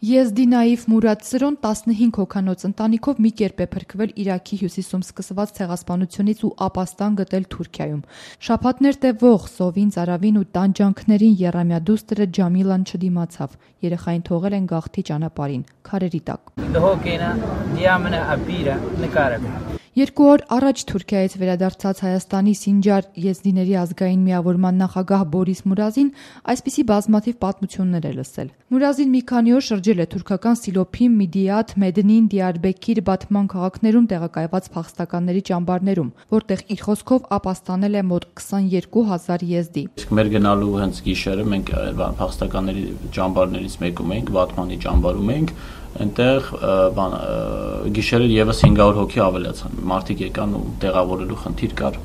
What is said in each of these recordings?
Եզդի Նաիֆ Մուրադ Սրոն 15 հոգանոց ընտանիքով մի կերպ է փրկվել Իրաքի հյուսիսում սկսված ցեղասպանությունից ու ապաստան գտել Թուրքիայում։ Շաբաթներ տևող սովին, ծարավին ու տանջանքներին եռամյա դուստրը Ջամիլան չդիմացավ։ Երեխային թողել են գաղթի ճանապարհին, քարերի տակ։ 2 օր առաջ Թուրքիայից վերադարձած Հայաստանի Սինջար եզդիների ազգային միավորման նախագահ Բորիս Մուրազին այսպիսի բազմաթիվ պատմություններ է լսել։ Մուրազին մի քանի օր շրջել է թուրքական Սիլոփի, Միդիաթ, Մեդնին, Դիարբեկիր, Բաթման քաղաքներում տեղակայված փախստականների ճամբարներում, որտեղ իր խոսքով ապաստանել է մոտ 22,000 եզդի։ Մեր գնալու հենց գիշերը մենք փախստականների ճամբարներից մեկում էինք, Բաթմանի ճամբարում էինք, այնտեղ գիշերը եւս 500 հոգի ավելացան։ Մարդիկ եկան ու տեղավորելու խնդիր կար։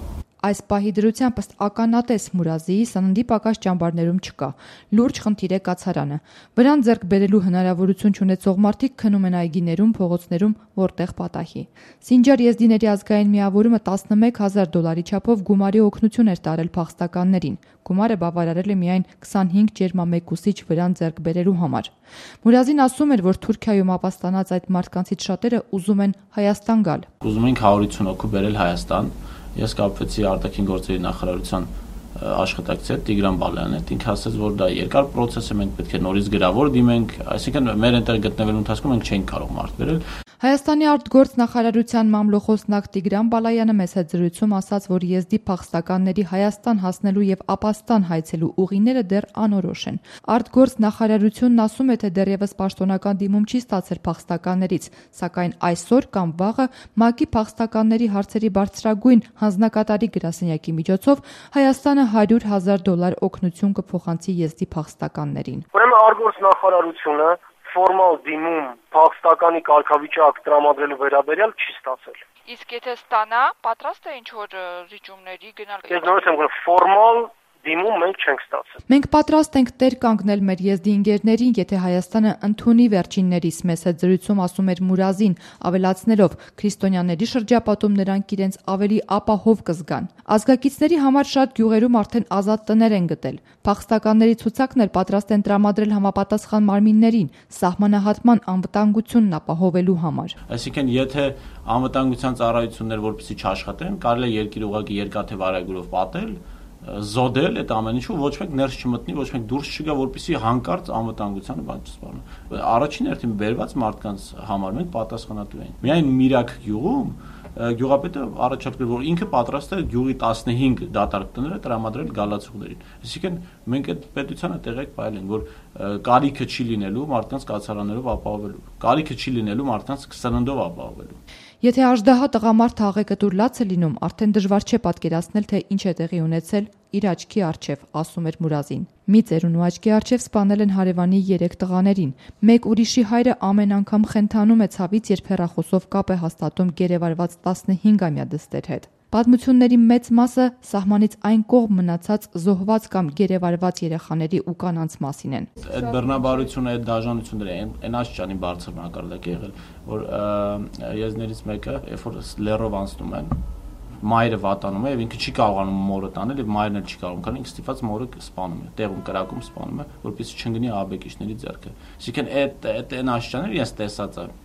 Այս պահի դրությամբ ըստ ականատես Մուրազիի սննդի պակաս ճամբարներում չկա։ Լուրջ խնդիր է կացարանը։ Վրան ձեռք բերելու հնարավորություն չունեցող մարդիկ քնում են այգիներում, փողոցներում, որտեղ պատահի։ Սինջար եզդիների ազգային միավորումը $11,000 չափով գումարի օգնություն էր տարել փախստականներին։ Գումարը բավարարել է միայն 25 ջերմամեկուսիչ վրան ձեռք բերելու համար։ Մուրազին ասում էր, որ Թուրքիայում ապաստանած այդ մարդկանցից շատերը ուզում են Հայաստան գալ։ Ուզում ենք 150 հոգու բերել Հայաստան։ Ես կապվեցի արտաքին գործերի նախարարության աշխատակցի հետ Տիգրան Բալայանի հետ, ինքը ասաց, որ դա երկար process է, մենք պետք է նորից գրավոր դիմենք, այսինքն մեր այնտեղ գտնվելու ընթացքում մենք չենք կարող մարդ բերել։ Հայաստանի արտգործ նախարարության մամլոխոսնակ Տիգրան Բալայանը մեծ զրույցում ասաց, որ եզդի փախստականների Հայաստան հասնելու եւ ապաստան հայցելու ուղիները դեռ անորոշ են։ Արտգործ նախարարությունն ասում է, թե դեռևս պաշտոնական դիմում չի ստացել փախստականներից, սակայն այսօր կամ վաղը ՄԱԿ-ի փախստականների հարցերի բարձրագույն հանձնակատարի գրասենյակի միջոցով Հայաստանը $100,000 օգնություն կփոխանցի եզդի փախստականներին։ Ուրեմն արտգործ նախարարությունը ֆորմալ դիմում փախստականի կարգավիճակ տրամադրելու վերաբերյալ չի ստացել։ Իսկ եթե ստանա, պատրաստ է ինչ-որ ռիճումների գնալ։ Ես նորից եմ говорю, ֆորմալ դիմում մենք չենք ստացել։ Մենք պատրաստ ենք տեր կանգնել մեր եզդի ընկերներին, եթե Հայաստանը ընդունի վերջիններիս, մեծ զրույցում ասում էր Մուրազին, ավելացնելով քրիստոնյաների շրջապատում նրանք իրենց ավելի ապահով կզգան։ Ազգակիցների համար շատ գյուղերում արդեն ազատ տներ են գտել։ Փախստականների ցուցակն էլ պատրաստ են տրամադրել համապատասխան մարմիններին, սահմանահատման անվտանգությունն ապահովելու համար։ Այսինքն, եթե անվտանգության ծառայություններ որպեսզի չաշխատեն, կարելի է երկիրը ուղղակի երկաթե վարագուրով պատել, զոդել այդ ամեն ինչը, ոչ մեկ ներս չմտնի, ոչ մեկ դուրս չգա, որպեսզի հանկարծ անվտանգությանը բան չսպառնա։ Առաջին հերթին բերված մարդկանց համար մենք պատասխանատու ենք։ Միայն Միրաք գյուղում գյուղապետը առաջարկել, որ ինքը պատրաստ է գյուղի 15 դատարկ տները տրամադրել գալացուներին։ Այսինքն մենք այդ պետությանը տեղեկ պայել ենք, որ կարիքը չի լինելու մարդկանց կացարաններով ապահովելու, կարիքը չի լինելու մարդկանց սննդով ապահովելու։ Եթե աժդահա տղամարդը աղեկտուր լաց է լինում, արդեն դժվար չէ պատկերացնել, թե ինչ է տեղի ունեցել իր աչքի առջև, ասում էր Մուրազին։ Մի ծերունու աչքի առջև սպանել են հարևանի 3 տղաներին։ Մեկ ուրիշի հայրը ամեն անգամ խենթանում է ցավից, երբ հեռախոսով կապ է հաստատում գերեվարված 15-ամյա դստեր հետ։ Պատմությունների մեծ մասը սահմանից այն կողմ մնացած զոհված կամ գերեվարված երեխաների ու կանանց մասին են։ Այդ բռնաբարությունը, այդ դաժանությունները այն աշճանի բարձր մակարդակ է եղել, որ եզներից մեկը, երբ որ լերով անցնում են, մայրը վատանում է եւ ինքը չի կարողանում մորը տանել եւ մայրն էլ չի կարողանում, քանի ինքը ստիպված մորը սպանում է, տեղում կրակում սպանում է, որպեսզի չընկնի աբեկիչների ձեռքը։ Այսինքն այդ այն աշճանները ես տեսած եմ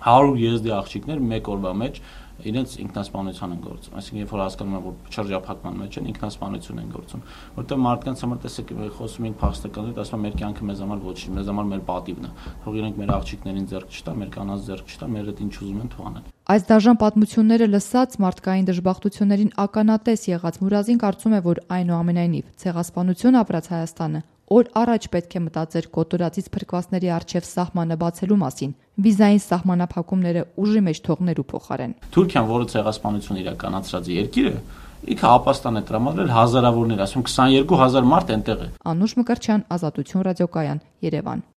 100 եզդի աղջիկներ մեկ օրվա մեջ իրենց ինքնասպանության են գործում, այսինքն երբ որ հասկանում են, որ շրջափակման մեջ են, ինքնասպանություն են գործում, որտեղ մարդկանց համար տեսեք խոսում ենք փախստականների, ասում են մեր կյանքը մեզ համար ոչինչ, մեզ համար մեր պատիվն է, թող իրենք մեր աղջիկներին ձեռք չտա, մեր կանանց ձեռք չտա, մեր հետ ինչ ուզում են թող անեն։ Այս դաժան պատմությունները լսած մարդկային դժբախտություններին ականատես եղած Մուրազին կարծում է, որ այնուամենայնիվ ցեղասպանություն ապրած Հայաստանը օր առաջ պետք է մտածեր կոտորածից փրկվածների առջև սահմանը բացելու մասին, վիզային սահմանափակումները ուժի մեջ թողնելու փոխարեն։ Թուրքիան, որը ցեղասպանություն իրականացրած է երկիրը, ինքը ապաստան է տրամադրել հազարավորներ, ասում 22,000 մարդ այնտեղ է։ Անուշ Մկրտչյան, Ազատություն ռադիոկայան, Երևան։